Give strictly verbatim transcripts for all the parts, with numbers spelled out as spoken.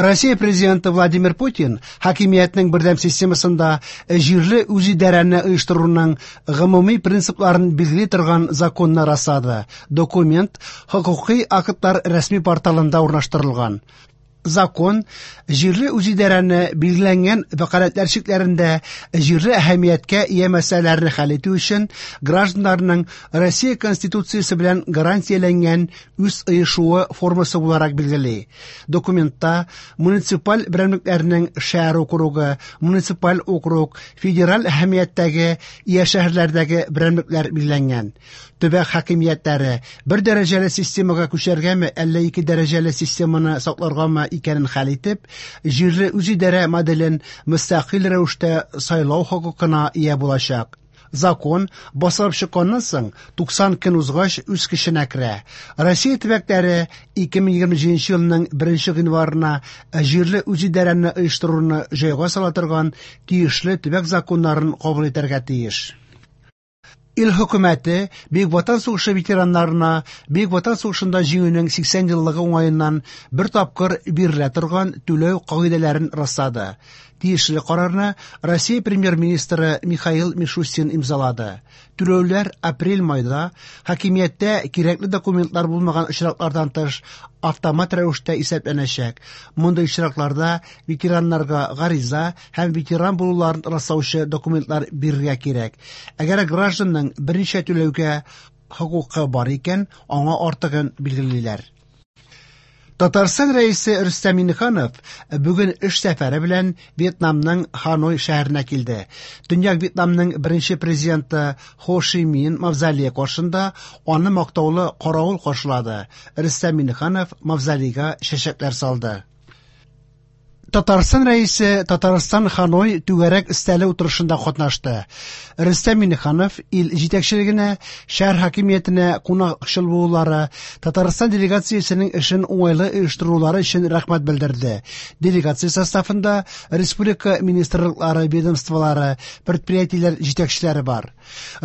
Россия президенты Владимир Путин хакимиятнең бердәм системасында җирле үзидарәне оештыруның гомуми принципларын билгели торган законны раслады. Документ хокукый актлар рәсми порталында урнаштырылган. Закон җирле үзидарәне билгеләнгән вәкаләтләр чикләрендә җирле әһәмияткә ия мәсьәләләрне хәл итү өчен гражданнарның Россия Конституциясе белән гарантияләнгән үз оешуы формасы буларак билгели. Документта муниципаль берәмлекләрнең шәһәр округы, муниципаль округ, федераль әһәмияттәге ия шәһәрләрдәге берәмлекләр билгеләнгән. Төбәк хакимиятләре бер дәрәҗәле системага күчәргәме, әллә ике дәрәҗәле системаны сакларгамы икәнен хәл итеп, җирле үзидарә моделен мөстәкыйль рәвештә сайлау хокукына ия булачак. Закон басылып чыкканнан соң туксан көн узгач үз көченә керә. Россия төбәкләре ике мең егерме җиденче елның беренче гыйнварына җирле үзидарәне оештыруны җайга сала торган тиешле төбәк законнарын кабул итәргә тиеш. Ил хөкүмәте Бөек Ватан сугышы ветераннарына Бөек Ватан сугышында җиңүнең сиксән еллыгы уңаеннан бер тапкыр бирелә торган түләү кагыйдәләрен раслады. Тиешле карарны Россия премьер-министры Михаил Мишустин имзалады. Түләүләр апрель-майда хакимияттә кирәкле документлар булмаган очраклардан тыш автомат рәвештә исәпләнәчәк. Мондый очракларда ветераннарга гариза һәм ветеран булуларын раслаучы документлар бирергә кирәк. Әгәр гражданның берничә түләүгә хокукы бар икән, аңа артыгын билгелиләр. Татарстан рәисе Рөстәм Миңнеханов бүген эш сәфәре белән Вьетнамның Ханой шәһәренә килде. Төньяк Вьетнамның беренче президенты Хо Ши Мин мавзолее каршында аны мактаулы каравыл каршылады. Рөстәм Миңнеханов мавзолейга чәчәкләр салды. Татарстан рәисе Татарстан Ханой түгәрәк өстәле утырышында катнашты. Рөстәм Миңнеханов ил җитәкчелегенә, шәһәр хакимиятенә кунакчыл булулары, Татарстан делегациясенең эшен уңайлы оештырулары өчен рәхмәт белдерде. Делегация составында республика министрлыклары, ведомстволары, предприятиеләр җитәкчеләре бар.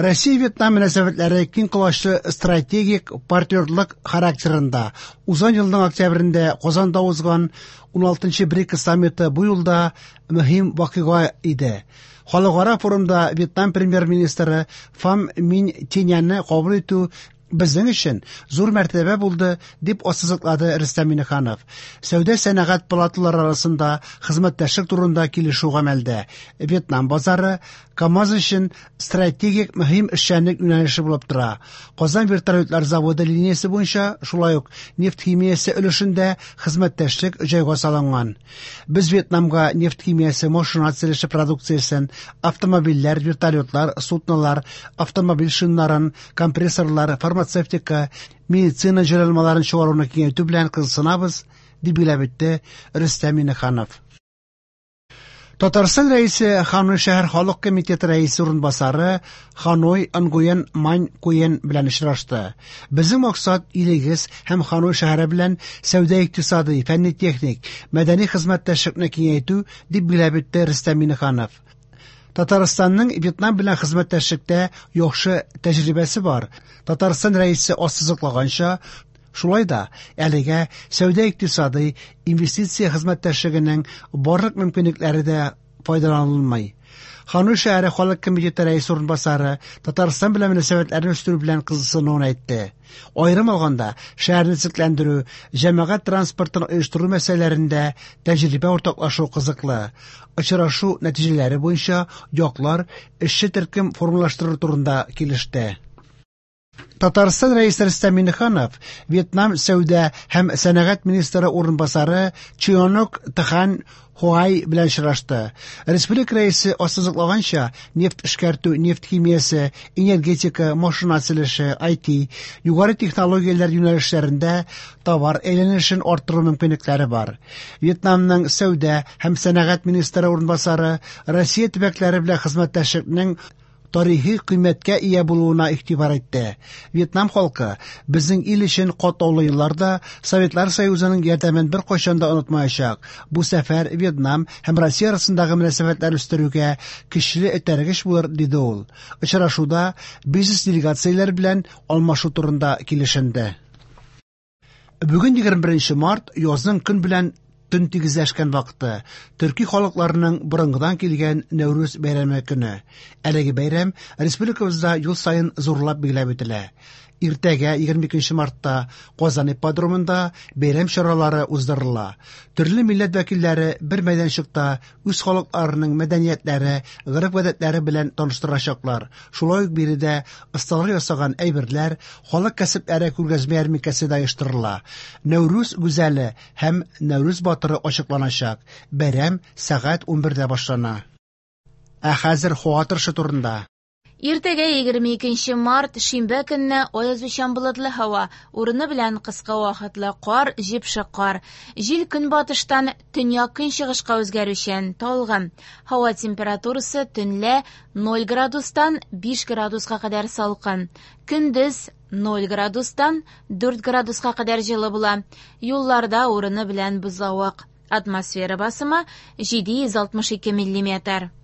Россия-Вьетнам мөнәсәбәтләре киң колачлы стратегик партнерлык характерында. Узган елның октябрендә Казанда узган уналтынчы БРИКС саммиты бу юлда мөһим вакыйга иде. Халыкара форумда Вьетнам премьер-министры Фам Мин Тиняны кабул итү безнең өчен зур мәртәбә булды, дип ассызыклады Рөстәм Миңнеханов. Сәүдә сәнәгать палаталары арасында хезмәттәшлек турында килешү гамәлдә. Вьетнам базары КАМАЗ өчен стратегик мөһим эшчәнлек юнәлеше булып тора. Казан вертолетлар заводы линиясе буенча шулай ук нефть химиясе өлешендә хезмәттәшлек җайга салынган. Без Вьетнамга нефть химиясе, машина төзелеше продукциясен, автомобильләр, вертолетлар, суднолар, автомобиль шиннарын, компрессорлар, фармацевтика, медицина җайланмаларын чыгаруны киңәйтү белән кызыксынабыз, дип билгеләп үтте Рөстәм Миңнеханов. Татарстан рәисе Ханой шәһәр халык комитеты рәисе урынбасары Ханой Нгуен Мань Куен белән очрашты. Безнең максат илегез һәм Ханой шәһәре белән сәүдә-икътисади, фәнни-техник, мәдәни хезмәттәшлекне киңәйтү, дип билгеләп үтте Рөстәм Миңнеханов. Татарстанның Вьетнам белән хезмәттәшлектә яхшы тәҗрибәсе бар. Татарстан рәисе ассызыклаганча, шулай да әлегә сәүдә-икътисади, инвестиция хезмәттәшлегенең барлык мөмкинлекләре дә файдаланылмый. Ханой шәһәре халык комитеты рәисе урынбасары Татарстан белән мөнәсәбәтләрне үстерү белән кызыксынуын әйтте. Аерым алганда, шәһәрне төзекләндерү, җәмәгать транспортын оештыру мәсьәләләрендә тәҗрибә уртаклашу кызыклы. Очрашу нәтиҗәләре буенча яклар эшче төркем формалаштыру турында килеште. Татарстан рәисе Рөстәм Миңнеханов Вьетнам сәүдә һәм сәнәгать министры урынбасары Чионок Тхан Хуай белән очрашты. Республика рәисе ассызыклаганча, нефть эшкәртү, нефть химиясе, энергетика, машина төзелеше, ай ти, югары технологияләр юнәлешләрендә товар әйләнешен арттыру мөмкинлекләре бар. Вьетнамның сәүдә һәм сәнәгать министры урынбасары Россия төбәкләре белән хезмәттәшлекнең тарихи кыйммәткә ия булуына игътибар итте. Вьетнам халкы безнең ил өчен катлаулы елларда Советлар Союзының ярдәмен беркайчан да онытмаячак. Бу сәфәр Вьетнам һәм Россия арасындагы мөнәсәбәтләр үстерүгә көчле этәргеч булыр, диде ул. Очрашуда бизнес делегацияләр белән алмашу турында килешенде. Бүген егерме беренче март, язның көн белән төн тигезләшкән вакыты, төрки халыкларының борынгыдан килгән Нәүрүз бәйрәме көне. Әлеге бәйрәм республикабызда ел саен зурлап билгеләп үтелә. Иртәгә, егерме икенче мартта, Казан ипподромында бәйрәм чаралары уздырыла. Төрле милләт вәкилләре бер мәйданчыкта үз халыкларының мәдәниятләре, гореф-гадәтләре белән таныштырачаклар. Шулай ук биредә осталар ясаган әйберләр, халык кәсепләре күргәзмә ярминкәсе дә оештырыла. Нәүрүз гүзәле һәм Нәүрүз батыры ачыкланачак. Бәйрәм сәгать унбердә башлана. Ә хәзер һава торышы турында. Иртәгә егерме икенче март, шимбә көнне аязучан болытлы һава, урыны белән кыска вакытлы кар, җепшек кар. Җил көнбатыштан төньяк-көнчыгышка үзгәрүчән, талгын. Һава температурасы төнлә ноль градустан биш градуска кадәр салкын. Көндез ноль градустан дүрт градуска кадәр җылы була. Юлларда урыны белән бозлавык. Атмосфера басымы җиде йөз алтмыш ике миллиметр.